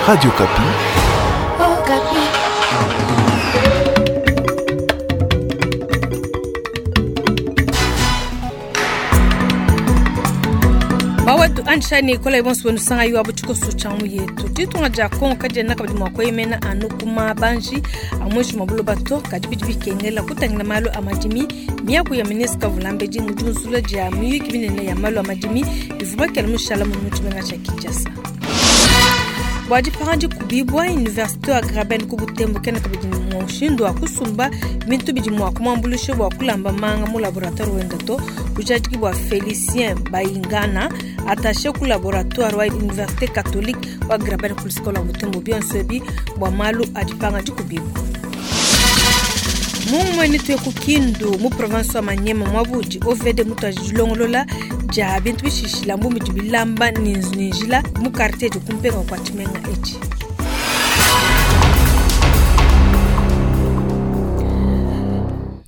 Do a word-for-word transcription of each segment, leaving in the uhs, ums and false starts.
Radio Okapi. Okapi. Bawetu anshani kola ibonso wenu sanga yuwa buchiko suchangu yetu ditunga dia Kongo kadiena kabidi mua kueyemena anu ku mabanji a muinshi mua buloba to kadi bidi bikengela kutangila malu a madimi. Miaku ya ministre Kavulambedi mu diunzula dia miyuki minene ya malu a madimi bivua bakela mushala mu tshimenga tshia Kinshasa. Bua dipanga dikubibua université wa Graben ku Butembo kena kabidi ne mushindu wa kusumba bintu bidi mua kumuambuluisha bua kulamba manga mu laboratoire wenda to. Bujadiki bua Félicien Bayingana attaché ku laboratoire wa université catholique wa Graben ku lusika lua Butembo bionso ebi bua malu a dipanga dikubibua. Mumwe ni tuye ku Kindu mu province wa Maniema mwabudi O V D mutu ajilongolola dia bintu bishishila mbu mudi bilamba ni njila mu quartier de kumpenga kwa tshimenga etshi.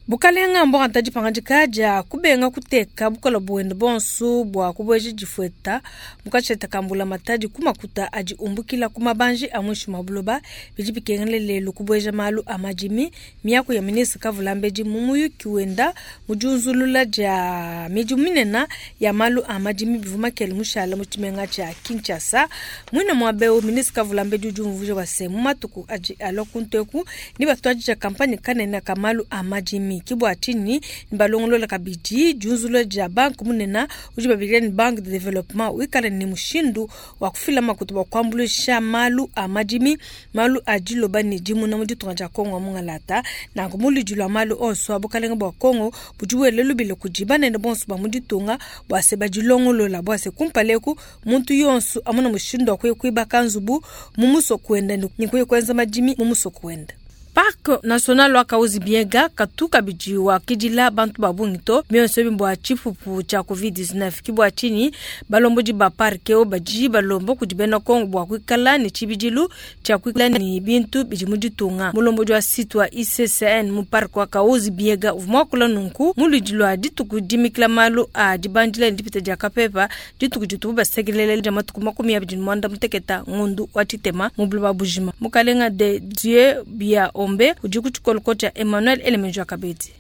Bukalenga mbo anta dipanga dia kubenga kuteka bukola buwende bonso bua kubweja difueta mukatsheta kambula matadi kumakuta adi umbukila kumabanji a muinshi mua buloba bidi bikengela lelu kubweja malu a madimi. Miaku ya ministre Kavulambedi mu muyuki wenda mu diunzulula dia midimu minene ya malu a madimi bivua makele mushala mu tshimenga tshia Kinshasa. Muine muaba eu ministre Kavulambedi udi umvuija bua se mu matuku adi alua kuntu eku ni batuadija kampanye kanene ka malu a madimi. Kibwa chini ni balongolola kabidi diunzulula dia banque munene udi babikila ni banque de développement wikala ni mushindu wa kufila makuta bua kuambuluisha malu a madimi malu a diloba ne dimuna mu ditunga dia Kongo mungalata. Nanku muludi lua malu onso a bukalenga bua Kongo budi buele lubile kudi banene bonso ba mu ditunga bua se badilongolola bua se kumpaleku muntu yonso amona mushindu wa kuya kuibaka nzubu mu musoko wenda ni kuya kuenza madimi mu musoko wenda. Parc national wa Kahuzi Biega katu kabidi wa kidila bantu ba bungi to bionso ebi mbua tshipupu tshia covid dix-neuf. Ki bua tshinyi balombodi ba parc eo badi balomba kudi bena Kongo bua kuikala ne tshibidilu tshia kuikala ne bintu bidi mu ditunga. Mulombodi wa site wa I C C N mu parc wa Kahuzi Biega uvua muakula nunku mu luidi lua dituku dimikila malu a dibandila ne dipita dia kapepa dituku ditubu basekelele dia matuku makumi abidi ne muanda muteketa ngondu wa tshitema mu buloba bujima. Mukalenga de Dieu bia Ombe udi ku tshikolo tshia Emmanuel Elemenjo Kabedi.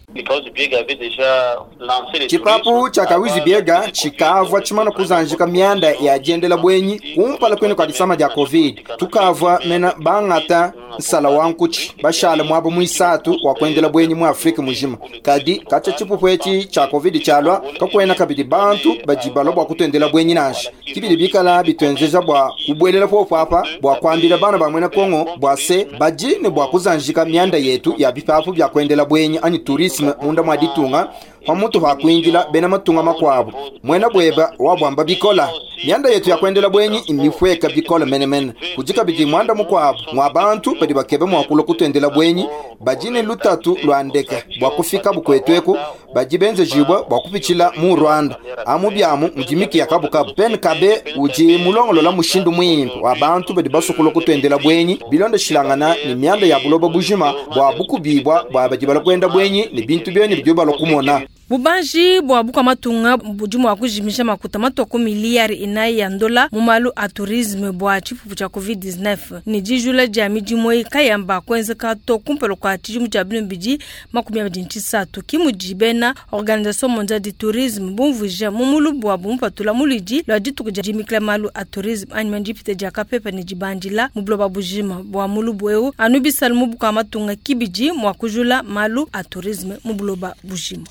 Tshipapu tshia Kahuzi Biega tshikavua tshimana kuzanjika mianda ya diendela bwenyi kumpala kwene kua disama dia Covid. Tukavua mena bangata nsala wa nkutshi bashala muaba muisatu wa kuendela bwenyi mu Afrika mujima. Kadi katshia tshipupu etshi tshia Covid tshialua kakuena kabidi bantu badi balua bua kutuendela bwenyi nansha. Kibidi bikala bituenzeja bua kubuelela popo apa bua kuambila bana ba muena Kongo bua se badi ne bua kuzanjika mianda yetu ya bipapu bia kuendela bwenyi anyi tourisme munda mwa ditunga pamutu pa kuingila bena matunga makuabu. Muena bweba wabwamba bikola mianda yetu ya kuendela bwenyi imifweka bikola menemene. Kudi kabidi mwanda mukuabu mwa bantu badi bakebe mua kulua kutuendela bwenyi badi ne lutatu lua ndeke bua kufika bukwetu eku badi benzejibwa bua kupitshila mu Rwanda amu biamu mudi ya kabukabu. Pen kabe udi mulongolola mushindu muimpe wa bantu badi basukula kutuendela bwenyi bilondeshilangana ne mianda ya buloba bujima bua bukubibwa bua badi balua kuenda bwenyi ne bintu bieni bidi balua kumona. Bubanji bua bukua matunga budi mua kujimisha makuta matua ku miliyari inayi ya ndola mu malu a tourisme bua tshipupu tshia covid dix-neuf. Ne dijula dia midimu eyi kayamba kuenzeka to kumpala kua tshidimu tshia binu bidi makumi abidi ne tshisatu. Ki mudi bena Organisation Mondiale du Tourisme bumvuija mu mulubu wabu mupatula mu luidi lua dituku dia dimikila malu a tourisme anyi dipita dia kapepa ne dibandila mu buloba bujima. Bua mulubu eu anu bisalu mu bukua matunga kibidi mua kujula malu a tourisme mu buloba bujima.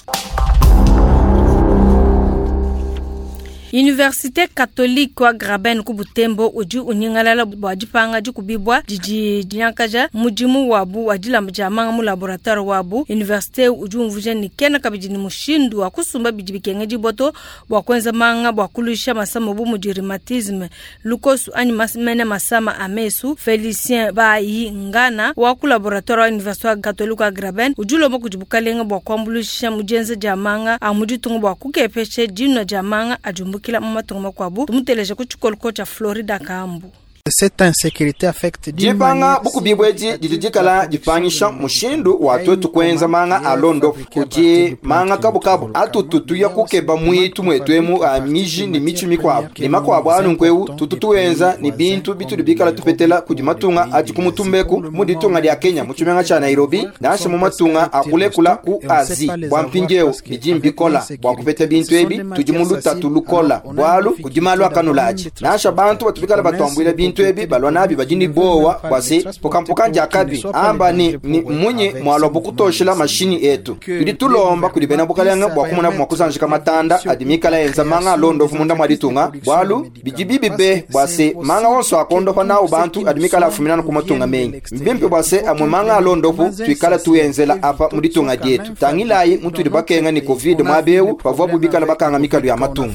Université catholique wa Graben ku Butembo udi unyingalala bua dipanga dikubibua didi dinyankaja mudimu wabu wa dilamba dia manga mu laboratoire wabu. Université udi umvuija ne kena kabidi ne mushindu wa kusumba bidi bikengedibua to bua kuenza manga bua kuluisha masama bu mudi rhumatisme, lukosu anyi mas-, mene masama a mesu. Félicien Bayingana wa ku laboratoire wa Université catholique wa Graben udi ulomba kudi bukalenga bua kuambuluisha mu dienza dia manga a mu ditunga bua kukepesha dinua dia manga adi umbukila mu matunga makuabu. Tumuteleje ku tshikolo tshia Florida Kambu. Cette insécurité affecte d'une Dipanga manière bukubi edi didi dikala dipangisha mushindu wa twetu kuenza manga a londopu kudi manga kabukabu atutu tuya kukeba mwitu mwetwemu a miji ni michi mikwabu ni makwabu anu nkweu tutu tuenza ni bintu bitudi bikala tupetela kudi matunga adi kumutumbeku mu ditunga dia Kenya mu tshimenga tshia Nairobi nansha mu matunga akulekula ku Azi bua mpindieu bidi mbikola bua kupeta bintu ebi tudi mu lutatu lukola bualu kudi malu akanulaji nansha bantu batubikala batuambuila bintu ebi balwa nabi badi ni bowa bua se pukampuka diakabi amba ni, ni munyi mwalwa bukutoshela mashini etu tudi tulomba kudi bena bukalenge bua kumona mua kusanjika matanda adi mikala enza manga alondofu munda mwa ditunga bualu bidi bibi be bua se manga onso akondopa nawu bantu adi mikala afuminana ku matunga mengi mbimpe bua se amwe manga alondofu tuikala tuenzela apa mu ditunga dietu tangilayi mutudi bakenga ni covid mwabeu bavua bubikala bakanga mikalu ya matunga.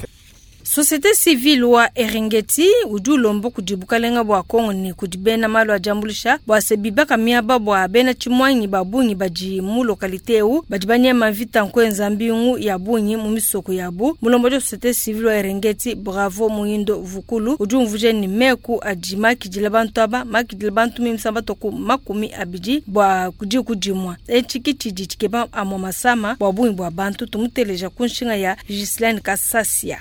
Société civile wa Eringeti udi ulomba kudi bukalenga bua Kongo ne kudi bena malu a diambulisha bua se bibaka miaba bua bena tshimuangi ba bungi badi mu localité eu badi banyema mvita nkuenza mbingu ya bungi mu misoko yabu. Mulombo wa société civile wa Eringeti Bravo Muindo Vukulu udi umvuja ni meku adi makidila bantu aba makidila bantu mimisamba toku makumi abidi bua kudi kudimwa etshi tshidi tshikeba amwa masama bua bungi bua bantu tumuteleja ku nshinga ya Gislaine Kasasia.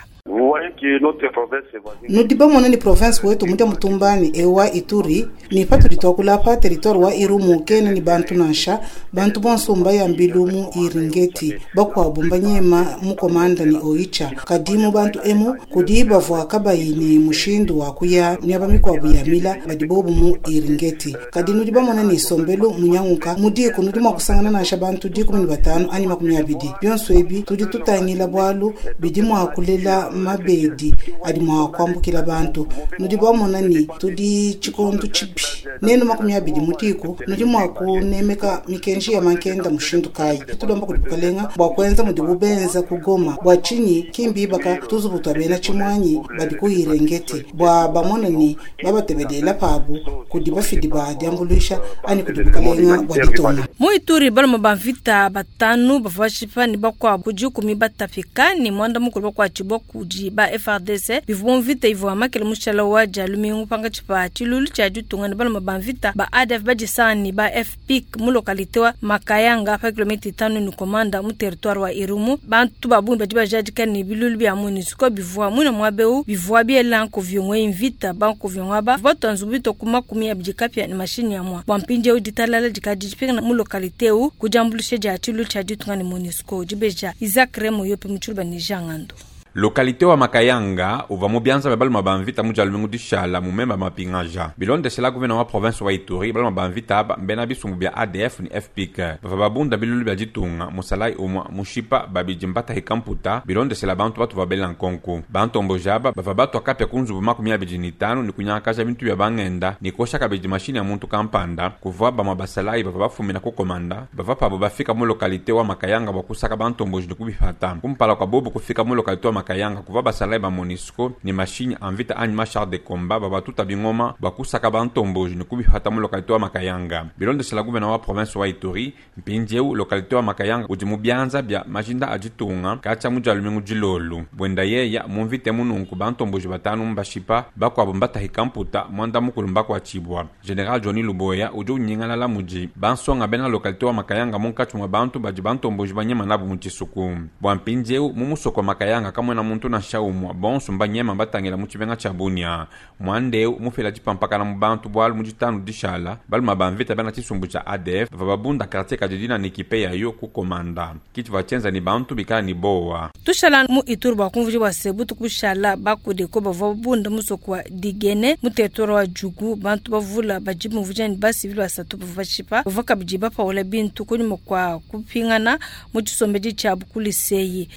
Nudi bamona ni province wetu mudia mutumbani ewa Ituri ni patudi twakula territoire wa Irumu kene ni bantu nansha bantu bonso mbaya mbilu mu Iringeti bakwabu mbanyema mukomanda ni Oicha kadimu bantu emu kudi bavua kabayi ni mushindu wa kuya miaba mikwabu ya mila badi bobu mu Iringeti kadi nudi bamona ni sombelu munyanguka mudiku nudi mwa kusangana nansha bantu dikumi ni batanu ani makumi abidi byonso ebi tudi tutangila bwalu bidi mwa kulela mabedi adi mwa kwambukila bantu nudi bamona ni tudi tshikondu tshipi nenu makumi abidi mutiku nudi mwa kunemeka mikenji ya mankenda mushindu kayi tulomba kudi bukalenga bua kuenza mudi bubenza kugoma bua tshinyi kimbi baka tuzubu twa bena tshimwanyi badi ku Irengeti bua bamona ni babatebedela pabu kudi bafidi ba diambuluisha ani kudi bukalenga bua ditunga. Mu Ituri baloma ba mvita batanu bavua bashipa ni bakwabu kudi kumi batapika ni mwanda mukulu bakuatshibua kudi ba F R D C bivua mvita ivua makele mushala wa jalumingu panga tshipa tshilulu tshia ditunga ni baloma ba mvita ba A D F badisani ba F P I C mu localité wa Makayanga pa kilomita itanu ni komanda mu territoire wa Irumu bantu babungi badi bajadika ni bilulu bia MONUSCO bivua mwina mwabeu bivua biela nkuvyongwe mvita bankuvyongwa ba batanzu bito kuma kumi abidi kapya ni mashini ya mwa bwampinje uditalala dikadi dipinga mu localité eu kujambulishe dia tshilulu tshia ditunga ni MONUSCO dibeja Isaac Remo yope mutshuluba ni Jangando. Localité wa Makayanga uva mu bianza bya baloma ba mvita mu jalumingu dishala mu memba mapingaja bilondesela guvena wa province wa Ituri baloma ba mvita aba mbena bisumbu bya A D F ni F P I C bava babunda bilulu bya ditunga musalai umwa mushipa babidi mbatahika mputa bilondesela bantu batu babela nkonku bantomboja aba bava batwa kapya ku nzubu makumi abidi ni tanu ni kunyakaja bintu bya bangenda ni kosha kabidi mashini ya muntu kampanda kuvua bamwa basalai bava bafumina ku komanda bava pabo bafika mu localité wa Makayanga bwa kusaka bantomboji ni kubifata kumpala kwa bobu kufika mu localité wa Makayanga kuva basalai ba MONUSCO ni mashini anvita anyi machar de combat babatuta bingoma bakusaka bantomboji ni kubifata mu localité wa Makayanga bilondesela guvena wa province wa Ituri mpindieu localité wa Makayanga udi mu bianza bya majinda aditunga katya mu jalumingu dilolu bwenda yeya mumvite mununku bantomboji batanu mbashipa bakwabo mbatahika mputa mwanda mukulu mbakuatshibwa General Johnny Luboya udi unyingalala mudi bansonga bena localité wa Makayanga munkatshi mwa bantu badi bantomboji banyema nabu mu tshisuku bwa mpindieu mu musoko wa Makayanga kamwe na muntu na shaumwa bonso mbanyema batangela mu tshibenga tshia Bunia mwandeu mufela dipampakana mu bantu bwalu mu ditanu dishala baluma bamvita bena tshisumbu tshia A D F bava babunda quartier kadidina ni ekipe yayo ku komanda kitu vatshenza ni bantu bikala ni bowa tushala mu Ituri bua kumvuja bua se butuku bushala bakudeko bavua babunda musoko wa Digene mu territoire wa Djugu bantu bavula badi mumvuja ni basivili basatu bavua bashipa bavua kabidi bapaula bintu kunyuma kua kupingana mu tshisombedi tshiabu ku liseyi.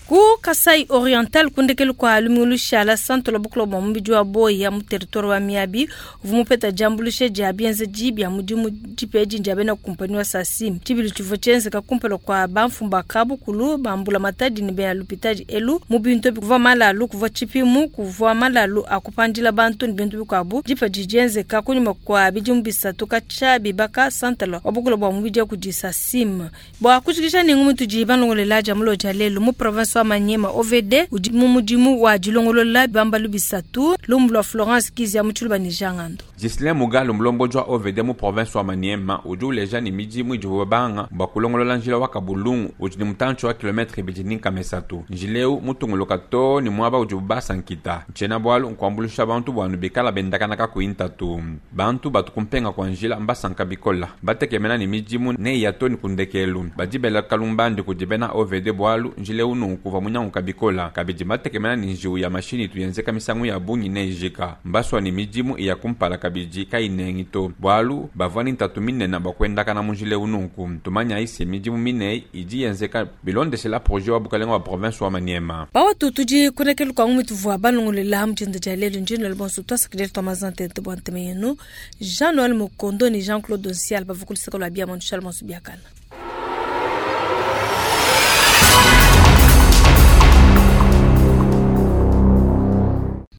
Ku Kasai Oriental kundekelu kwa lumingu shala santo la buklo bwa mubidi wa boya mu territoire wa Miabi uvua mupeta diambulushe dia bienzeji bia mudimu dipeji dia bena kumpani wa Sasim tshibilu tshivua tshienzeka kumpala kua bamfumba kabukulu bambula matadi ne bena lupitadi elu mu bintu ebi kuvua malalu kuvua tshipimu kuvua malalu akupandila bantu ne bintu bikuabu dipa didienzeka kunyuma kua bidimu bisatu katshia bibaka santala wa buklo bwa mubidi kudi Sasim bua kushikisha nengu mutudi balongolela dia mulo dia lelu mu province wa Maniema. Maniema O V D udi mu mudimu wa dilongolola bibambalu bisatu lumu lua Florence Kizia mu Tshiluba ne Jean Ngando. Ghislain Mugalu mulomboji wa O V D mu province wa Maniema udi uleja ne midimu idibu babanga bua kulongolola njila wa Kabulungu udi ne mutantshi wa kilometre ibidi ne nkama isatu. Njila eu mutunguluka too ne muaba udibu basa nkita. Ntshiena bualu nkuambuluisha bantu bua bikala bendakana kakuyi ntatu. Bantu batu kumpenga kwa njila mbasanka bikola. Batekemena ne midimu ne ya too ne kundekelu. Badi bela kalumbandi kudi bena O V D bualu njila eu nunku uvua munyanguka bikola. Kabidi batekemena ne njiwu ya mashini itu yenzeka misangu ya bungi ne ijika. Mbasua ne midimu iya kumpala kabidi kayinengi to. Bualu bavua ne ntatu minene bua kuendakana mu njila eu nunku. Tumanya isi midimu mine idi yenzeka bilondeshela projet wa bukalenga wa province wa Maniema. Bawatu tudi kunekelu kwa ngumi tuvua balongolela mutshindi dia lelu njini lelu bonso twasakidile twa mazante nte bua ntema yenu. Jean-Noël Mukondo ne Jean-Claude Nsiala bavua kuluseka lua bia Mondial Bonso biakana.